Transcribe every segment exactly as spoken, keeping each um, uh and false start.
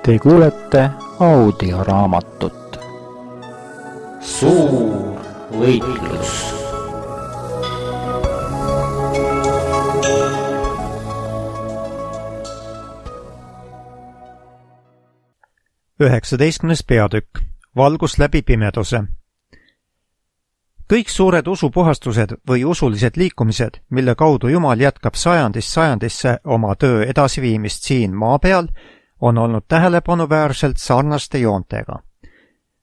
Te kuulete audioraamatut Suur võitlus. üheksateistkümnes peatükk. Valgus läbi pimeduse. Kõik suured usupuhastused või usulised liikumised, mille kaudu Jumal jätkab sajandist sajandisse oma töö edasiviimist siin maa peal, on olnud tähelepanuväärselt sarnaste joontega.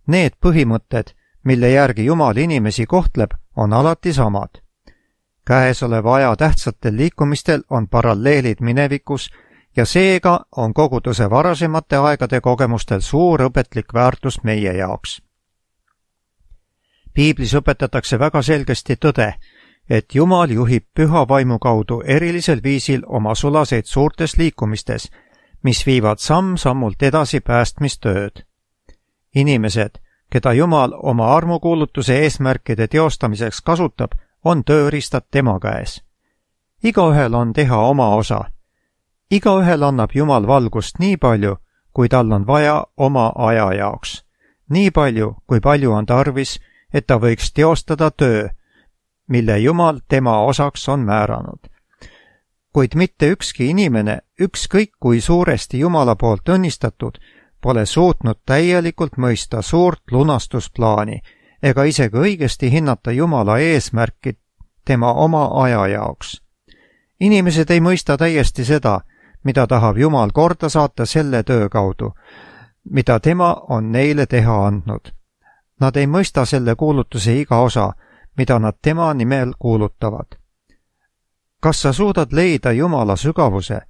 Need põhimõtted, mille järgi Jumal inimesi kohtleb, on alati samad. Käesoleva aja tähtsatel liikumistel on paralleelid minevikus ja seega on koguduse varasemate aegade kogemustel suur õpetlik väärtus meie jaoks. Piiblis õpetatakse väga selgesti tõde, et Jumal juhib püha vaimu kaudu erilisel viisil oma sulaseid suurtes liikumistes, mis viivad samm-sammult edasi päästmistööd. Inimesed, keda Jumal oma armukuulutuse eesmärkide teostamiseks kasutab, on tööriistad tema käes. Igaühel on teha oma osa. Igaühel annab Jumal valgust nii palju, kui tal on vaja oma aja jaoks. Nii palju, kui palju on tarvis, et ta võiks teostada töö, mille Jumal tema osaks on määranud. Kuid mitte ükski inimene, ükskõik kui suuresti Jumala poolt õnnistatud, pole suutnud täielikult mõista suurt lunastusplaani ega isegi õigesti hinnata Jumala eesmärki tema oma aja jaoks. Inimesed ei mõista täiesti seda, mida tahab Jumal korda saata selle töö kaudu, mida tema on neile teha andnud. Nad ei mõista selle kuulutuse iga osa, mida nad tema nimel kuulutavad. Kas sa suudad leida Jumala sügavuse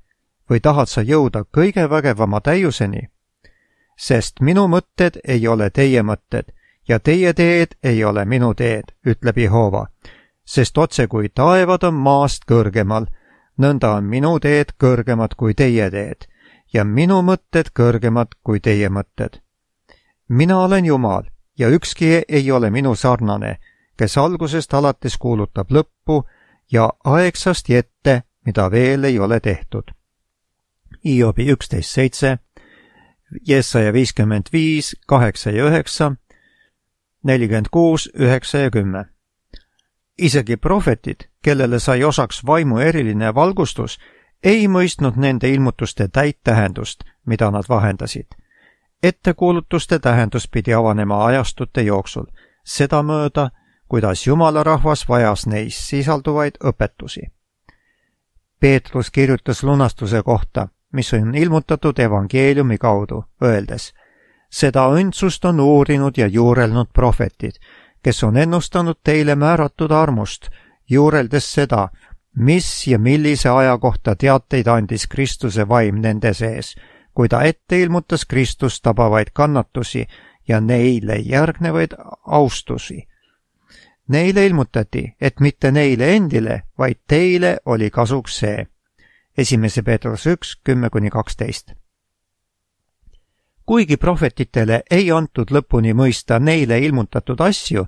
või tahad sa jõuda kõige vägevama täiuseni? Sest minu mõtted ei ole teie mõtted ja teie teed ei ole minu teed, ütleb Jehova, sest otse kui taevad on maast kõrgemal, nõnda on minu teed kõrgemad kui teie teed ja minu mõtted kõrgemad kui teie mõtted. Mina olen Jumal ja ükski ei ole minu sarnane, kes algusest alates kuulutab lõppu ja aegsast ette, mida veel ei ole tehtud. Hiobi üksteist seitse, Jesaja viiskümmend viis, kaheksa ja üheksa, nelikümmend kuus, üheksa ja kümme. Isegi prohvetid, kellele sai osaks vaimu eriline valgustus, ei mõistnud nende ilmutuste täit tähendust, mida nad vahendasid. Ettekuulutuste tähendus pidi avanema ajastute jooksul, sedamööda, kuidas Jumala rahvas vajas neis sisalduvaid õpetusi. Peetrus kirjutas lunastuse kohta, mis on ilmutatud evangeeliumi kaudu, öeldes, seda õndsust on uurinud ja juurelnud prohvetid, kes on ennustanud teile määratud armust, juureldes seda, mis ja millise aja kohta teateid andis Kristuse vaim nende sees, kui ta ette ilmutas Kristust tabavaid kannatusi ja neile järgnevaid austusi. Neile ilmutati, et mitte neile endile, vaid teile oli kasuks see. Esimese Peetrus üks, kümme kuni kaksteist. Kuigi prohvetitele ei antud lõpuni mõista neile ilmutatud asju,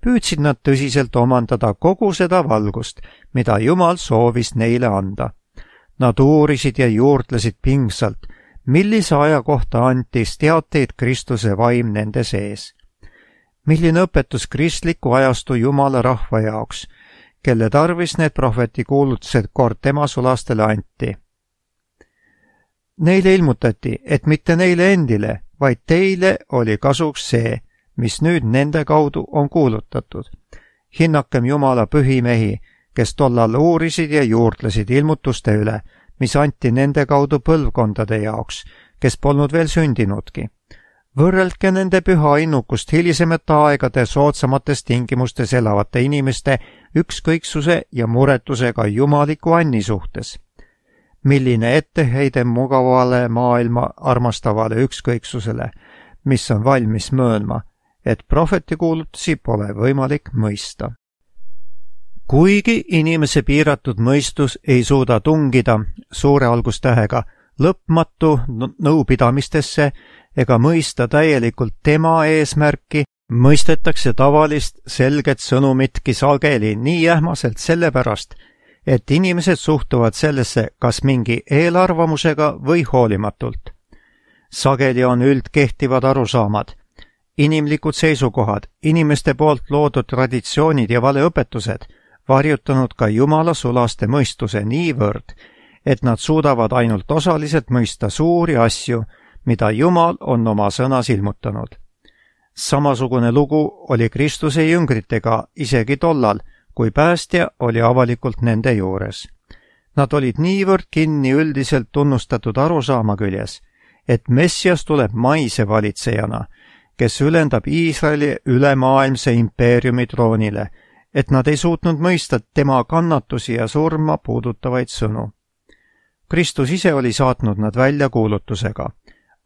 püüdsid nad tõsiselt omandada kogu seda valgust, mida Jumal soovis neile anda. Nad uurisid ja juurdlesid pingsalt, millise aja kohta antis teateid Kristuse vaim nende sees. Milline õpetus kristliku ajastu Jumala rahva jaoks, kelle tarvis need prohveti kuulutused kord tema sulastele anti. Neile ilmutati, et mitte neile endile, vaid teile oli kasuks see, mis nüüd nende kaudu on kuulutatud. Hinnakem Jumala pühimehi, kes tollal uurisid ja juurdlesid ilmutuste üle, mis anti nende kaudu põlvkondade jaoks, kes polnud veel sündinudki. Võrreldke nende püha innukust hilisemate aegade soodsamates tingimustes elavate inimeste ükskõiksuse ja muretusega jumaliku anni suhtes. Milline etteheide mugavale maailma armastavale ükskõiksusele, mis on valmis möönma, et prohvetikuulutusi pole võimalik mõista. Kuigi inimese piiratud mõistus ei suuda tungida suure algustähega lõpmatu nõupidamistesse ega mõista täielikult tema eesmärki, mõistetakse tavalist selget sõnumitki sageli nii ähmaselt sellepärast, et inimesed suhtuvad sellesse kas mingi eelarvamusega või hoolimatult. sageli on üldkehtivad arusaamad, inimlikud seisukohad, inimeste poolt loodud traditsioonid ja valeõpetused varjutanud ka Jumala sulaste mõistuse niivõrd, et nad suudavad ainult osaliselt mõista suuri asju, mida Jumal on oma sõnas ilmutanud. Samasugune lugu oli Kristuse jüngritega isegi tollal, kui päästja oli avalikult nende juures. Nad olid niivõrd kinni üldiselt tunnustatud arusaama küljes, et Messias tuleb maise valitsejana, kes ülendab Iisraeli ülemaailmse impeeriumi troonile, et nad ei suutnud mõista tema kannatusi ja surma puudutavaid sõnu. Kristus ise oli saatnud nad välja kuulutusega.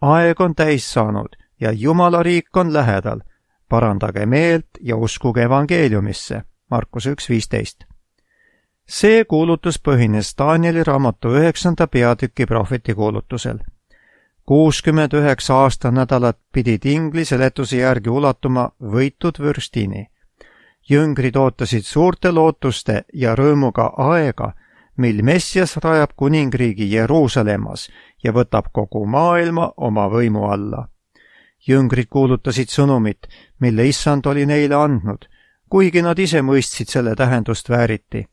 Aeg on täis saanud ja Jumala riik on lähedal. Parandage meelt ja uskuge evangeeliumisse. Markus üks viisteist. See kuulutus põhines Danieli raamatu üheksanda peatüki prohveti kuulutusel. kuuskümmend üheksa aastanädalat pidid ingli seletuse järgi ulatuma võitud vürstini. Jüngrid ootasid suurte lootuste ja rõõmuga aega, mil Messias rajab kuningriigi Jeruusalemmas ja võtab kogu maailma oma võimu alla. Jüngrid kuulutasid sõnumit, mille Issand oli neile andnud, kuigi nad ise mõistsid selle tähendust vääriti.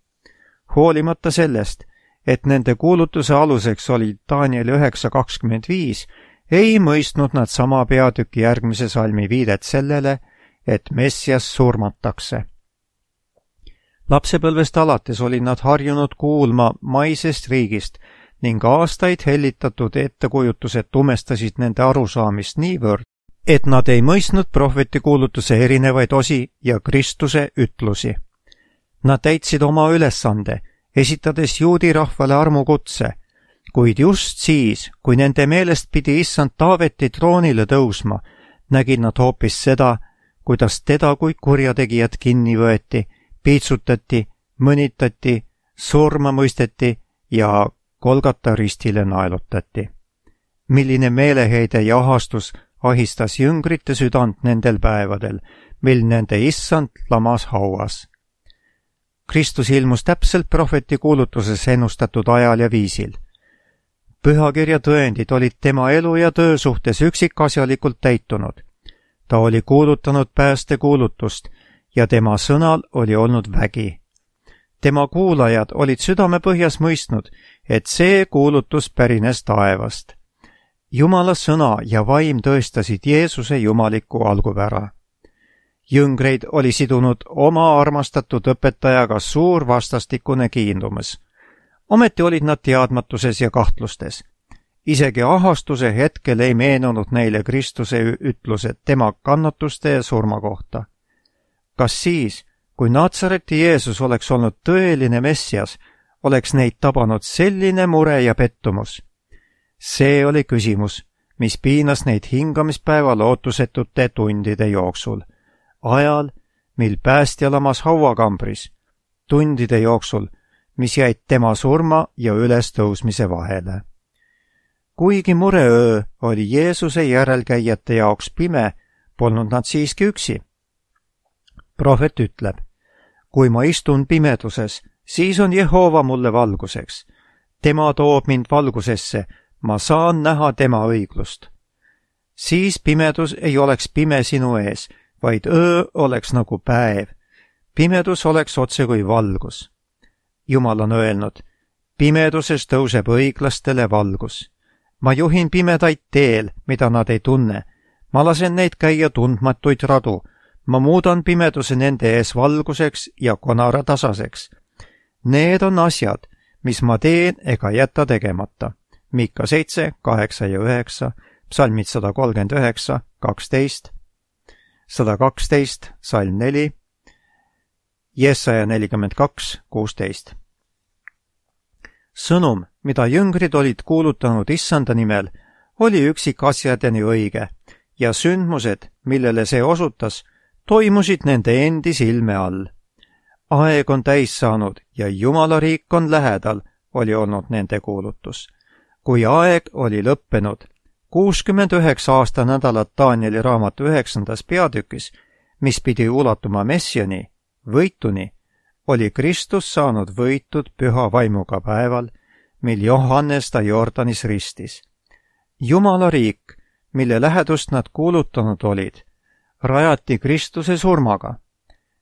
Hoolimata sellest, et nende kuulutuse aluseks oli Daniel üheksa kakskümmend viis, ei mõistnud nad sama peatüki järgmise salmi viidet sellele, et Messias surmatakse. Lapsepõlvest alates olid nad harjunud kuulma maisest riigist ning aastaid hellitatud ettekujutused tumestasid nende arusaamist niivõrd, et nad ei mõistnud prohveti kuulutuse erinevaid osi ja Kristuse ütlusi. Nad täitsid oma ülesande, esitades juudi rahvale armukutse, kuid just siis, kui nende meelest pidi issand Taaveti troonile tõusma, nägid nad hoopis seda, kuidas teda kui kurjategijat kinni võeti, piitsutati, mõnitati, surma mõisteti ja Golgata ristile naelutati. Milline meeleheide ja ahastus ahistas jüngrite südant nendel päevadel, mil nende issand lamas hauas. Kristus ilmus täpselt prohveti kuulutuses ennustatud ajal ja viisil. Pühakirja tõendid olid tema elu ja töö suhtes üksikasjalikult täitunud. Ta oli kuulutanud päästekuulutust ja tema sõnal oli olnud vägi. Tema kuulajad olid südamepõhjas mõistnud, et see kuulutus pärines taevast. Jumala sõna ja vaim tõestasid Jeesuse jumaliku algupära. Jüngreid oli sidunud oma armastatud õpetajaga suur vastastikune kiindumus. Ometi olid nad teadmatuses ja kahtlustes. Isegi ahastuse hetkel ei meenunud neile Kristuse ütlused tema kannatuste ja surma kohta. Kas siis, kui Natsareti Jeesus oleks olnud tõeline Messias, oleks neid tabanud selline mure ja pettumus? See oli küsimus, mis piinas neid hingamispäeva lootusetute tundide jooksul. Ajal, mil päästja lamas hauakambris, tundide jooksul, mis jäid tema surma ja ülestõusmise vahele. Kuigi mureöö oli Jeesuse järelkäijate jaoks pime, polnud nad siiski üksi. Prohvet ütleb, kui ma istun pimeduses, siis on Jehova mulle valguseks. Tema toob mind valgusesse, ma saan näha tema õiglust. Siis pimedus ei oleks pime sinu ees, vaid öö oleks nagu päev. Pimedus oleks otse kui valgus. Jumal on öelnud, pimeduses tõuseb õiglastele valgus. Ma juhin pimedaid teel, mida nad ei tunne. Ma lasen neid käia tundmatuid radu. Ma muudan pimeduse nende ees valguseks ja konara tasaseks. Need on asjad, mis ma teen ega jäta tegemata. Miika seitse, kaheksa ja üheksa, psalmid sada kolmkümmend üheksa, kaksteist, sada kaksteist, salm neli, Jesaja nelikümmend kaks, kuusteist. Sõnum, mida jüngrid olid kuulutanud issanda nimel, oli üksikasjadeni õige ja sündmused, millele see osutas, toimusid nende endi silme all. Aeg on täis saanud ja Jumala riik on lähedal, oli olnud nende kuulutus. Kui aeg oli lõppenud, kuuskümmend üheksa aasta nädalat Danieli raamatu üheksandas peatükis, mis pidi ulatuma Messiani, võituni, oli Kristus saanud võitud püha vaimuga päeval, mil Johannes ta Jordanis ristis. Jumala riik mille lähedust nad kuulutanud olid, rajati Kristuse surmaga.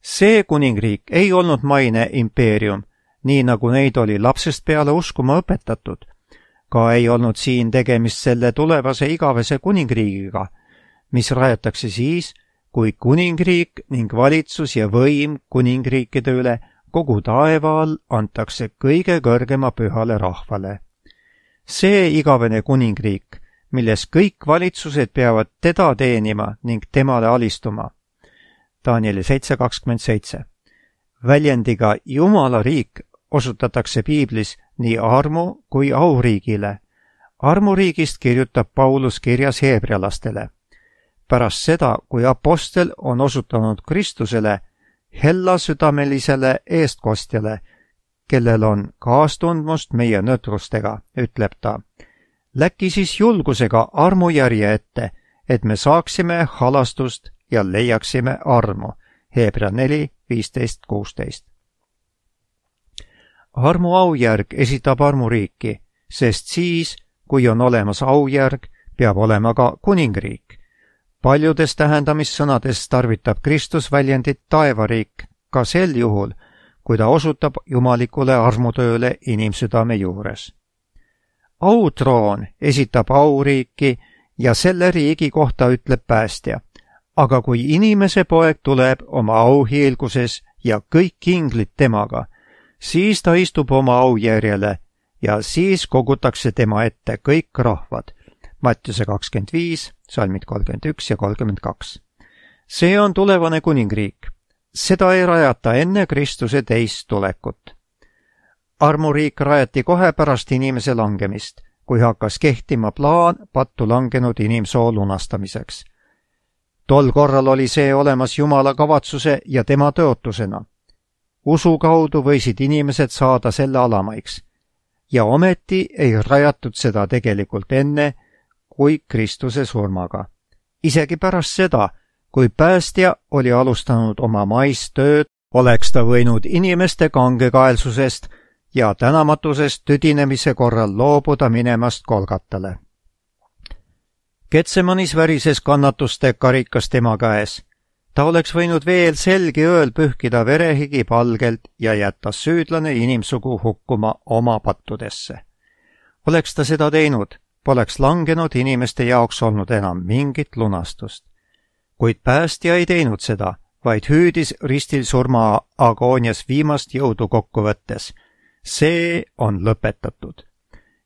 See kuningriik ei olnud maine impeerium, nii nagu neid oli lapsest peale uskuma õpetatud. Ka ei olnud siin tegemist selle tulevase igavese kuningriigiga, mis rajatakse siis, kui kuningriik ning valitsus ja võim kuningriikide üle kogu taeva all antakse kõige kõrgema pühale rahvale. See igavene kuningriik, milles kõik valitsused peavad teda teenima ning temale alistuma. Danieli seitse kakskümmend seitse. Väljendiga Jumala riik osutatakse piiblis nii armu kui auriigile. Armuriigist kirjutab Paulus kirjas heebrealastele. Pärast seda, kui apostel on osutanud Kristusele, hellasüdamelisele eestkostjale, kellel on kaastundmust meie nõtrustega, ütleb ta. Läki siis julgusega armujärje ette, et me saaksime halastust ja leiaksime armu. Heebrea neli viisteist kuusteist. Armu aujärg esitab armuriiki, sest siis, kui on olemas aujärg, peab olema ka kuningriik. Paljudes tähendamissõnades tarvitab Kristus väljendit taevariik ka sel juhul, kui ta osutab jumalikule armutööle inimsüdame juures. Autroon esitab auriiki ja selle riigi kohta ütleb päästja, aga kui inimese poeg tuleb oma auhiilguses ja kõik inglid temaga, siis ta istub oma aujärjele ja siis kogutakse tema ette kõik rahvad. Mattiuse kakskümmend viis, salmid kolmkümmend üks ja kolmkümmend kaks. See on tulevane kuningriik. Seda ei rajata enne Kristuse teist tulekut. Armuriik rajati kohe pärast inimese langemist, kui hakkas kehtima plaan pattu langenud inimsoo lunastamiseks. Tol korral oli see olemas Jumala kavatsuse ja tema tõotusena. Usu kaudu võisid inimesed saada selle alamaiks. Ja ometi ei rajatud seda tegelikult enne, kui Kristuse surmaga. Isegi pärast seda, kui päästja oli alustanud oma maistööd, oleks ta võinud inimeste kangekaelsusest ja tänamatusest tüdinemise korral loobuda minemast Golgatale. Getsemanis värises kannatuste karikas tema käes. Ta oleks võinud veel selgi ööl pühkida verehigi palgelt ja jätta süüdlane inimsugu hukkuma oma pattudesse. Oleks ta seda teinud, poleks langenud inimeste jaoks olnud enam mingit lunastust. Kuid päästja ei teinud seda, vaid hüüdis ristil surma agoonias viimast jõudu kokku võttes. See on lõpetatud.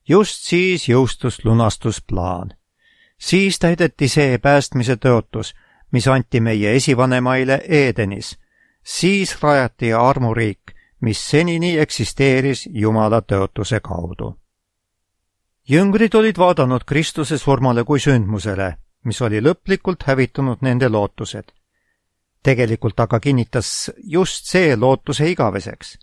Just siis jõustus lunastusplaan. Siis täideti see päästmise tõotus, mis anti meie esivanemaile Edenis. Siis rajati armuriik, mis senini eksisteeris Jumala tõotuse kaudu. Jüngrid olid vaadanud Kristuse surmale kui sündmusele, mis oli lõplikult hävitanud nende lootused. Tegelikult aga kinnitas just see lootuse igaveseks.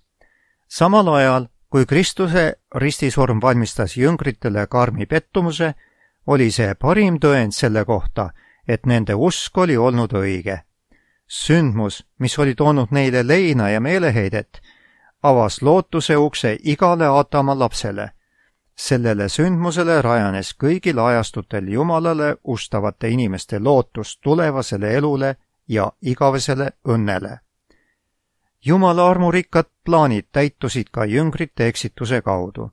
Samal ajal, kui Kristuse ristisurm valmistas jüngritele karmi pettumuse, oli see parim tõend selle kohta, et nende usk oli olnud õige. Sündmus, mis oli toonud neile leina ja meeleheidet, avas lootuse ukse igale Aatama lapsele. Sellele sündmusele rajanes kõigil ajastutel Jumalale ustavate inimeste lootus tulevasele elule ja igavesele õnnele. Jumala armurikkad plaanid täitusid ka jüngrite eksituse kaudu.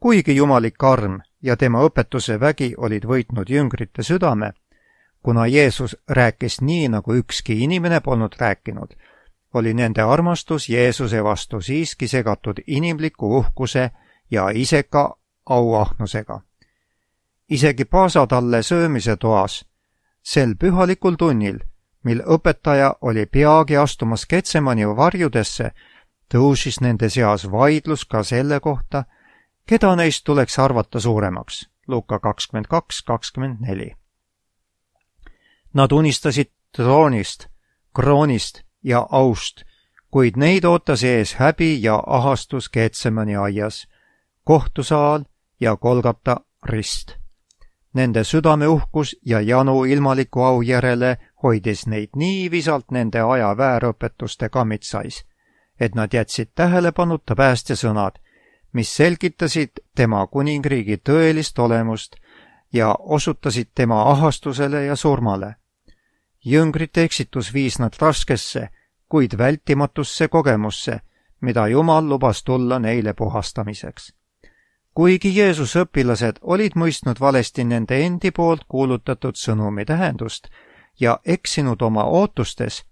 Kuigi jumalik arm ja tema õpetuse vägi olid võitnud jüngrite südame, kuna Jeesus rääkis nii, nagu ükski inimene polnud rääkinud, oli nende armastus Jeesuse vastu siiski segatud inimliku uhkuse ja iseka auahnusega. Isegi paasatalle söömise toas, sel pühalikul tunnil, mil õpetaja oli peagi astumas Getsemani varjudesse, tõusis nende seas vaidlus ka selle kohta, keda neist tuleks arvata suuremaks. Luuka kakskümmend kaks kakskümmend neli. Nad unistasid troonist, kroonist ja aust, kuid neid ootas ees häbi ja ahastus Getsemani aias, kohtusaal ja Golgata rist. Nende südameuhkus ja janu ilmaliku au järele hoidis neid nii visalt nende aja väärõpetuste kammitsais, et nad jätsid tähelepanuta päästja sõnad, mis selgitasid tema kuningriigi tõelist olemust ja osutasid tema ahastusele ja surmale. Jüngrite eksitus viis nad raskesse, kuid vältimatusse kogemusse, mida Jumal lubas tulla neile puhastamiseks. Kuigi Jeesuse õpilased olid mõistnud valesti nende endi poolt kuulutatud sõnumi tähendust ja eksinud oma ootustes,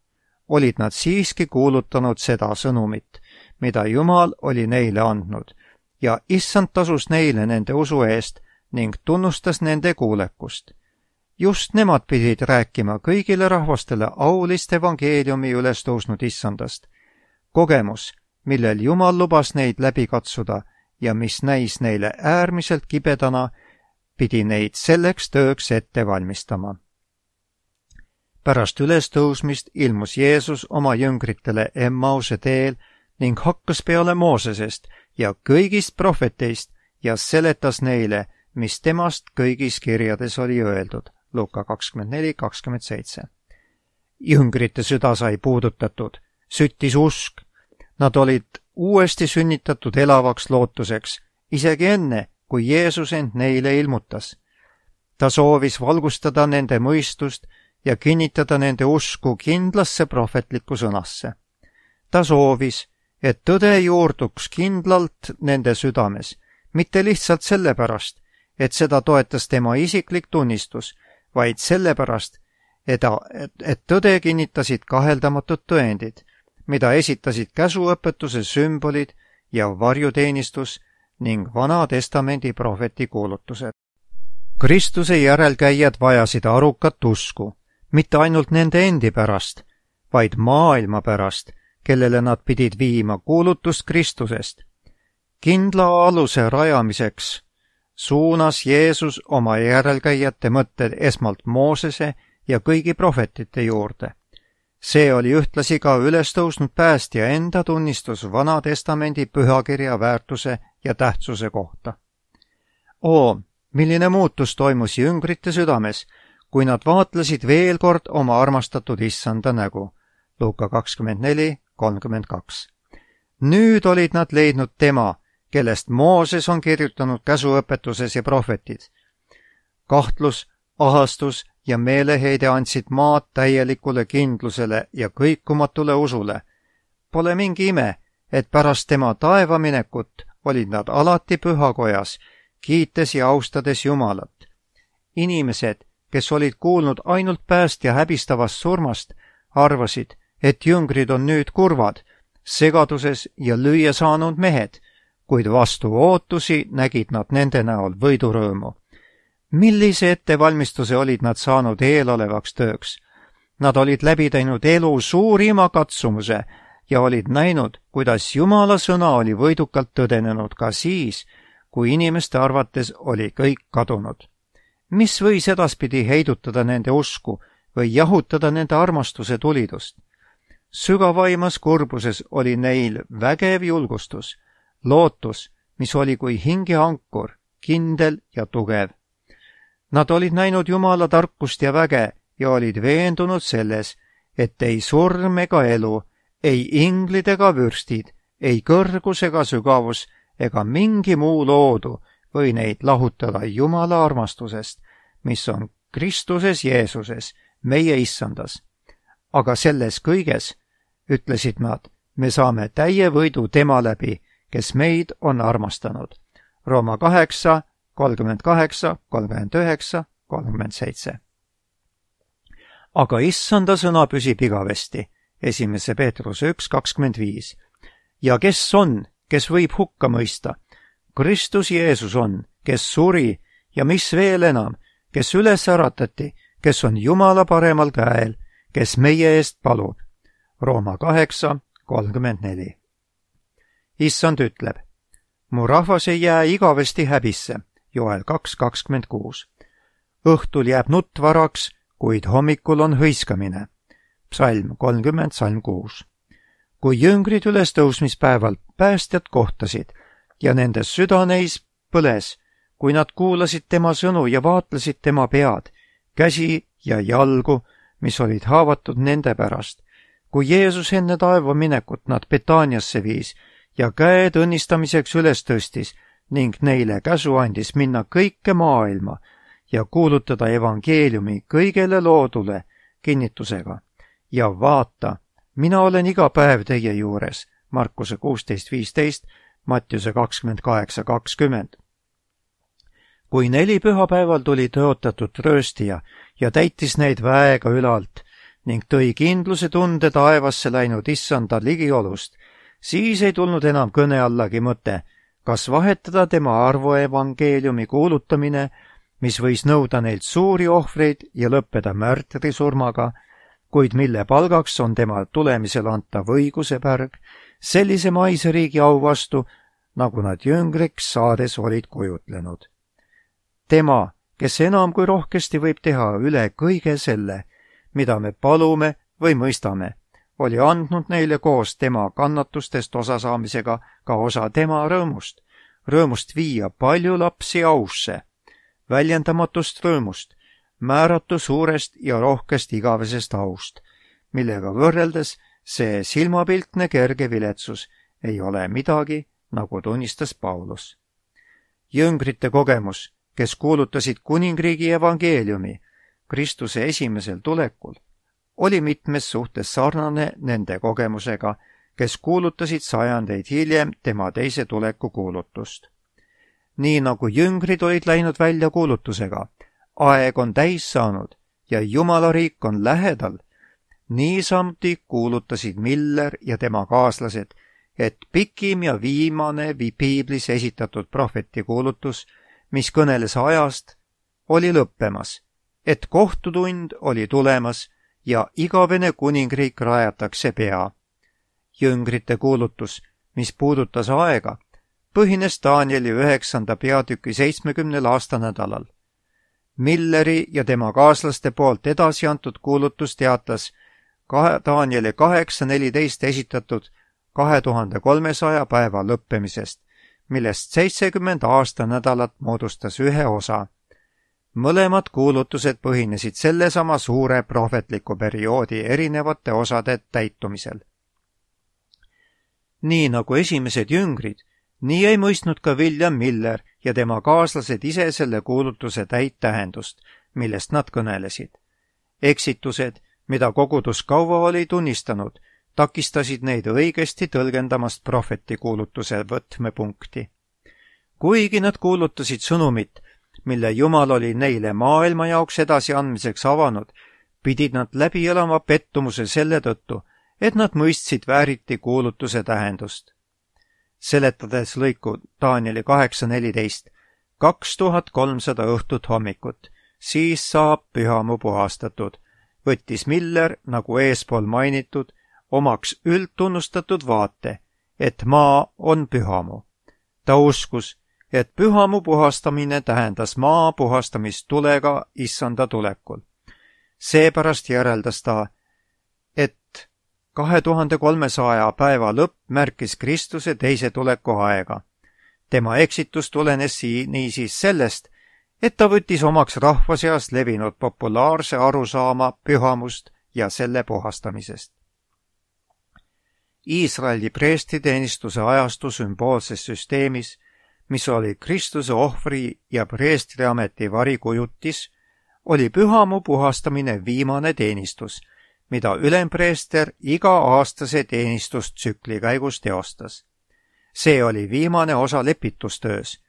olid nad siiski kuulutanud seda sõnumit, mida Jumal oli neile andnud, ja Issand tasus neile nende usu eest ning tunnustas nende kuulekust. Just nemad pidid rääkima kõigile rahvastele aulist evangeeliumi üles tõusnud Issandast. Kogemus, millel Jumal lubas neid läbi katsuda ja mis näis neile äärmiselt kibedana, pidi neid selleks tööks ette valmistama. Pärast ülestõusmist ilmus Jeesus oma jüngritele Emmause teel ning hakkas peale Moosesest ja kõigist prohveteist ja seletas neile, mis temast kõigis kirjades oli öeldud. Luuka kakskümmend neli kakskümmend seitse. Jüngrite süda sai puudutatud, süttis usk. Nad olid uuesti sünnitatud elavaks lootuseks, isegi enne, kui Jeesus end neile ilmutas. Ta soovis valgustada nende mõistust ja kinnitada nende usku kindlasse prohvetlikku sõnasse. Ta soovis, et tõde juurduks kindlalt nende südames, mitte lihtsalt sellepärast, et seda toetas tema isiklik tunnistus, vaid sellepärast, et, et, et tõde kinnitasid kaheldamatud tõendid, mida esitasid käsuõpetuse sümbolid ja varjuteenistus ning Vana Testamendi prohveti kuulutused. Kristuse järelkäijad vajasid arukat usku, mitte ainult nende endi pärast, vaid maailma pärast, kellele nad pidid viima kuulutust Kristusest. Kindla aluse rajamiseks suunas Jeesus oma järelkäijate mõtted esmalt Moosese ja kõigi prohvetite juurde. See oli ühtlasi ka ülestõusnud päästja enda tunnistus Vana Testamendi pühakirja väärtuse ja tähtsuse kohta. Oo, milline muutus toimus jüngrite südames, kui nad vaatlesid veel kord oma armastatud Issanda nägu. Luuka kakskümmend neli kolmkümmend kaks. Nüüd olid nad leidnud tema, kellest Mooses on kirjutanud käsuõpetuses ja prohvetid. Kahtlus, ahastus ja meeleheide andsid maad täielikule kindlusele ja kõikumatule usule. Pole mingi ime, et pärast tema taevaminekut olid nad alati pühakojas, kiites ja austades Jumalat. Inimesed, kes olid kuulnud ainult päästja häbistavast surmast, arvasid, et jüngrid on nüüd kurvad, segaduses ja lüüa saanud mehed, kuid vastu ootusi nägid nad nende näol võidurõõmu. Millise ettevalmistuse olid nad saanud eelolevaks tööks? Nad olid läbi teinud elu suurima katsumuse ja olid näinud, kuidas Jumala sõna oli võidukalt tõdenenud ka siis, kui inimeste arvates oli kõik kadunud. Mis võis edaspidi heidutada nende usku või jahutada nende armastuse tulidust? Sügavaimas kurbuses oli neil vägev julgustus, lootus, mis oli kui hinge ankur, kindel ja tugev. Nad olid näinud Jumala tarkust ja väge ja olid veendunud selles, et ei surm ega elu, ei inglid ega vürstid, ei kõrgus ega sügavus ega mingi muu loodu või neid lahutada Jumala armastusest, mis on Kristuses Jeesuses, meie Issandas. Aga selles kõiges, ütlesid nad, me saame täie võidu tema läbi, kes meid on armastanud. Rooma kaheksa, kolmkümmend kaheksa, kolmkümmend üheksa, kolmkümmend seitse. Aga Issanda sõna püsib igavesti, esimese Peetruse üks kakskümmend viis. Ja kes on, kes võib hukka mõista? Kristus Jeesus on, kes suri ja mis veel enam, kes üles äratati, kes on Jumala paremal käel, kes meie eest palub. Rooma kaheksa, kolmkümmend neli. Issand ütleb, mu rahvas ei jää igavesti häbisse, Joel kaks kakskümmend kuus. Õhtul jääb nutt varaks, kuid hommikul on hõiskamine. Psalm kolmkümmend, salm kuus. Kui jüngrid ülestõusmispäeval päästjad kohtasid ja nende süda neis põles, kui nad kuulasid tema sõnu ja vaatlesid tema pead, käsi ja jalgu, mis olid haavatud nende pärast, kui Jeesus enne taeva minekut nad Betaaniasse viis ja käed õnnistamiseks üles tõstis ning neile käsu andis minna kõike maailma ja kuulutada evangeeliumi kõigele loodule kinnitusega. ja vaata, mina olen iga päev teie juures, Markuse kuusteist viisteist, Mattiuse kakskümmend kaheksa kakskümmend. kui neli pühapäeval tuli tõotatud rööstija ja täitis neid väega ülalt ning tõi kindluse tunde taevasse läinud issanda ligiolust, siis ei tulnud enam kõne allagi mõte, kas vahetada tema arvu evangeeliumi kuulutamine, mis võis nõuda neilt suuri ohvreid ja lõppeda märtrisurmaga, kuid mille palgaks on tema tulemisel antav õigusepärg, sellise maise riigi au vastu, nagu nad jüngriks saades olid kujutlenud. Tema, kes enam kui rohkesti võib teha üle kõige selle, mida me palume või mõistame, oli andnud neile koos tema kannatustest osasaamisega ka osa tema rõõmust, rõõmust viia palju lapsi ausse, väljendamatust rõõmust, määratu suurest ja rohkest igavesest aust, millega võrreldes see silmapiltne kerge viletsus ei ole midagi, nagu tunnistas Paulus. Jüngrite kogemus, kes kuulutasid kuningriigi evangeeliumi Kristuse esimesel tulekul, oli mitmes suhtes sarnane nende kogemusega, kes kuulutasid sajandeid hiljem tema teise tuleku kuulutust. Nii nagu jüngrid olid läinud välja kuulutusega, aeg on täis saanud ja Jumala riik on lähedal, niisamuti kuulutasid Miller ja tema kaaslased, et pikim ja viimane piiblis esitatud prohveti kuulutus, mis kõneles ajast, oli lõppemas, et kohtutund oli tulemas ja igavene kuningriik rajatakse pea. Jüngrite kuulutus, mis puudutas aega, põhines Danieli üheksanda peatüki seitsmekümnel aastanädalal. Milleri ja tema kaaslaste poolt edasi antud kuulutus teatas Danieli kaheksa neliteist esitatud kahe tuhande kolmesaja päeva lõppemisest, millest seitsekümmend aastanädalat moodustas ühe osa. Mõlemad kuulutused põhinesid sellesama suure prohvetliku perioodi erinevate osade täitumisel. Nii nagu esimesed jüngrid, nii ei mõistnud ka William Miller ja tema kaaslased ise selle kuulutuse täit tähendust, millest nad kõnelesid. Eksitused, mida kogudus kaua oli tunnistanud, takistasid neid õigesti tõlgendamast prohveti kuulutuse võtmepunkti. Kuigi nad kuulutasid sõnumit, mille Jumal oli neile maailma jaoks edasi andmiseks avanud, pidid nad läbi elama pettumuse selle tõttu, et nad mõistsid vääriti kuulutuse tähendust. Seletades lõiku Danieli kaheksa neliteist, kaks tuhat kolmsada õhtut hommikut, siis saab pühamu puhastatud, võttis Miller, nagu eespool mainitud, omaks üldtunnustatud vaate, et maa on pühamu. Ta uskus, et pühamu puhastamine tähendas maa puhastamist tulega issanda tulekul. Seepärast järeldas ta, et kahe tuhande kolmesaja päeva lõpp märkis Kristuse teise tuleku aega. Tema eksitus tulenes niisiis sellest, et ta võttis omaks rahva seas levinud populaarse arusaama pühamust ja selle puhastamisest. Iisraeli preestriteenistuse ajastu sümboolses süsteemis, mis oli Kristuse ohvri ja preestriameti varikujutis, oli pühamu puhastamine viimane teenistus, mida ülempreester iga-aastase teenistustsükli käigus teostas. See oli viimane osa lepitustöös,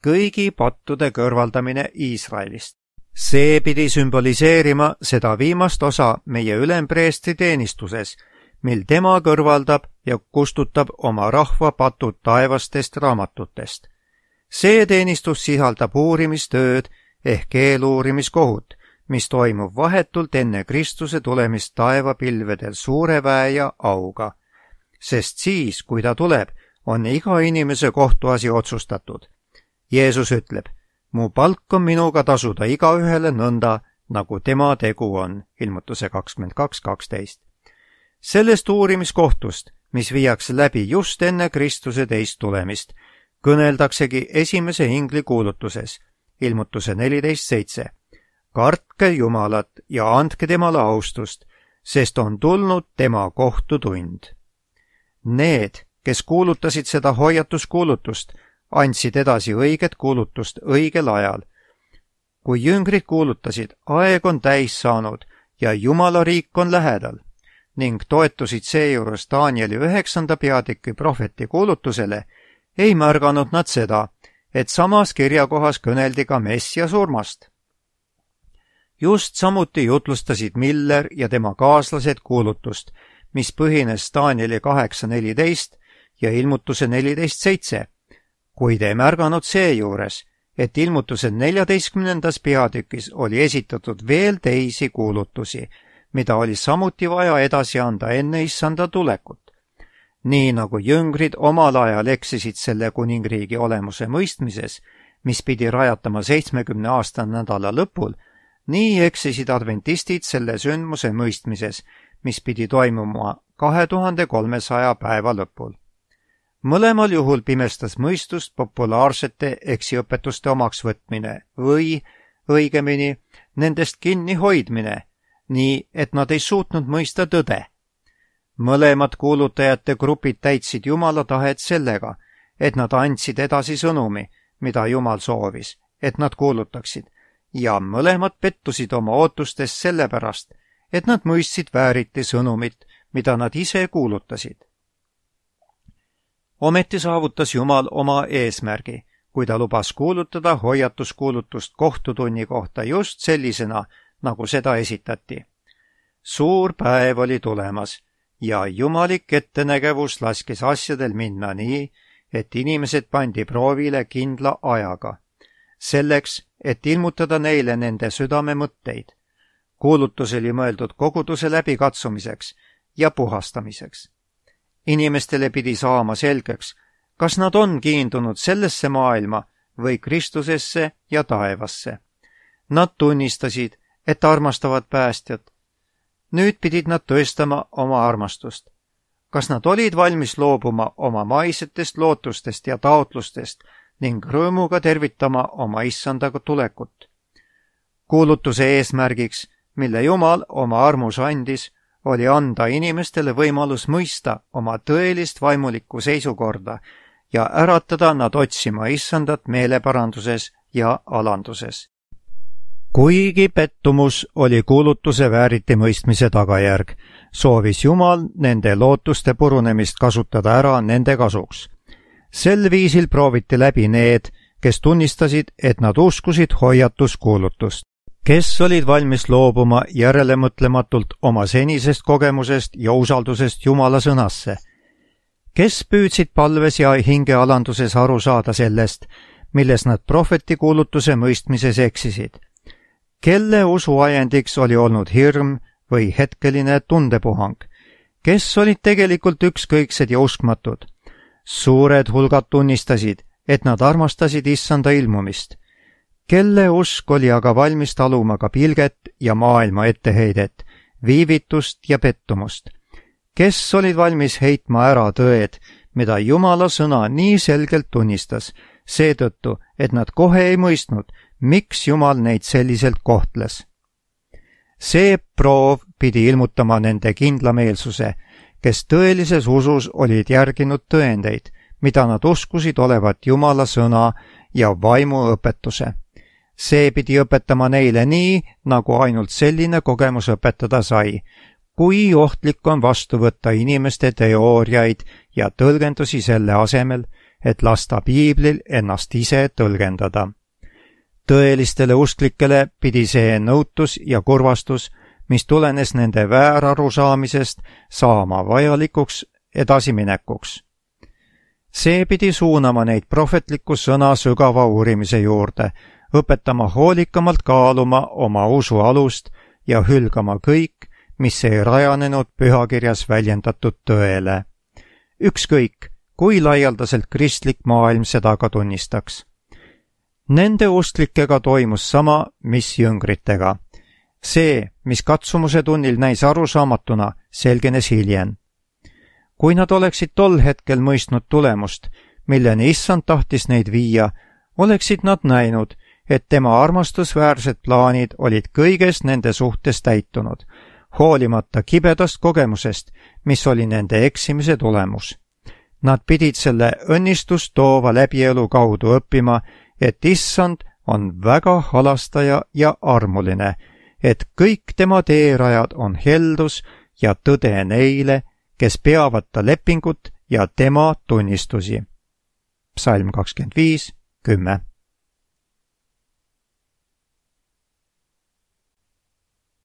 kõigi pattude kõrvaldamine Iisraelist. See pidi sümboliseerima seda viimast osa meie ülempreestri teenistuses, mil tema kõrvaldab ja kustutab oma rahva patud taevastest raamatutest. See teenistus sisaldab uurimistööd ehk eeluurimiskohut, mis toimub vahetult enne Kristuse tulemist taevapilvedel suure väe ja auga. Sest siis, kui ta tuleb, on iga inimese kohtuasi otsustatud. Jeesus ütleb, mu palk on minuga tasuda igaühele nõnda, nagu tema tegu on, ilmutuse kakskümmend kaks kaksteist. Sellest uurimiskohtust, mis viiakse läbi just enne Kristuse teist tulemist, kõneldaksegi esimese ingli kuulutuses, ilmutuse neliteist seitse. Kartke Jumalat ja andke temale austust, sest on tulnud tema kohtutund. Need, kes kuulutasid seda hoiatuskuulutust, andsid edasi õiget kuulutust õigel ajal. kui jüngrid kuulutasid, aeg on täis saanud ja Jumala riik on lähedal ning toetusid seejuures Danieli üheksanda peatüki prohveti kuulutusele, ei märganud nad seda, et samas kirjakohas kõneldi ka Messia surmast. Just samuti jutlustasid Miller ja tema kaaslased kuulutust, mis põhines Danieli kaheksa neliteist ja ilmutuse neliteist seitse, kuid ei märganud seejuures, et ilmutuse neljateistkümnendas peatükis oli esitatud veel teisi kuulutusi, mida oli samuti vaja edasi anda enne issanda tulekut. Nii nagu jüngrid omal ajal eksisid selle kuningriigi olemuse mõistmises, mis pidi rajatama seitsmekümne aasta nädala lõpul, nii eksisid adventistid selle sündmuse mõistmises, mis pidi toimuma kahe tuhande kolmesaja päeva lõpul. Mõlemal juhul pimestas mõistust populaarsete eksiõpetuste omaksvõtmine või, õigemini, nendest kinni hoidmine, nii et nad ei suutnud mõista tõde. Mõlemad kuulutajate grupid täitsid Jumala tahet sellega, et nad andsid edasi sõnumi, mida Jumal soovis, et nad kuulutaksid, ja mõlemad pettusid oma ootustest sellepärast, et nad mõistsid vääriti sõnumit, mida nad ise kuulutasid. Ometi saavutas Jumal oma eesmärgi, kui ta lubas kuulutada hoiatuskuulutust kohtutunni kohta just sellisena, nagu seda esitati. Suur päev oli tulemas ja jumalik ettenägevus laskis asjadel minna nii, et inimesed pandi proovile kindla ajaga, selleks, et ilmutada neile nende südame mõtteid. Kuulutus oli mõeldud koguduse läbikatsumiseks ja puhastamiseks. Inimestele pidi saama selgeks, kas nad on kiindunud sellesse maailma või Kristusesse ja taevasse. Nad tunnistasid, et armastavad päästjat. Nüüd pidid nad tõestama oma armastust. Kas nad olid valmis loobuma oma maisetest lootustest ja taotlustest ning rõõmuga tervitama oma issandaga tulekut? Kuulutuse eesmärgiks, mille Jumal oma armus andis, oli anda inimestele võimalus mõista oma tõelist vaimulikku seisukorda ja äratada nad otsima issandat meeleparanduses ja alanduses. Kuigi pettumus oli kuulutuse vääriti mõistmise tagajärg, soovis Jumal nende lootuste purunemist kasutada ära nende kasuks. Sel viisil prooviti läbi need, kes tunnistasid, et nad uskusid hoiatuskuulutust, kes olid valmis loobuma järelemõtlematult oma senisest kogemusest ja usaldusest Jumala sõnasse, kes püüdsid palves ja hingealanduses aru saada sellest, milles nad prohveti kuulutuse mõistmises eksisid, kelle usuajendiks oli olnud hirm või hetkeline tundepuhang, kes olid tegelikult ükskõiksed ja uskmatud. Suured hulgad tunnistasid, et nad armastasid issanda ilmumist, kelle usk oli aga valmis taluma ka pilget ja maailma etteheidet, viivitust ja pettumust, kes olid valmis heitma ära tõed, mida Jumala sõna nii selgelt tunnistas, seetõttu, et nad kohe ei mõistnud, miks Jumal neid selliselt kohtles. See proov pidi ilmutama nende kindlameelsuse, kes tõelises usus olid järginud tõendeid, mida nad uskusid olevat Jumala sõna ja vaimu õpetuse. See pidi õpetama neile nii, nagu ainult selline kogemus õpetada sai, kui ohtlik on vastu võtta inimeste teooriaid ja tõlgendusi selle asemel, et lasta piiblil ennast ise tõlgendada. Tõelistele usklikele pidi see nõutus ja kurvastus, mis tulenes nende väärarusaamisest, saama vajalikuks edasiminekuks. See pidi suunama neid prohvetliku sõna sügava uurimise juurde, õpetama hoolikamalt kaaluma oma usu alust ja hülgama kõik, mis ei rajanenud pühakirjas väljendatud tõele. Ükskõik, kui laialdaselt kristlik maailm seda ka tunnistaks. Nende usklikega toimus sama, mis jüngritega. See, mis katsumuse tunnil näis arusaamatuna, selgenes hiljem. Kui nad oleksid tol hetkel mõistnud tulemust, milleni issand tahtis neid viia, oleksid nad näinud, et tema armastusväärsed plaanid olid kõiges nende suhtes täitunud, hoolimata kibedast kogemusest, mis oli nende eksimise tulemus. Nad pidid selle õnnistust toova läbielu kaudu õppima, et issand on väga halastaja ja armuline, et kõik tema teerajad on heldus ja tõde neile, kes peavad ta lepingut ja tema tunnistusi. Psalm kakskümmend viis, kümme.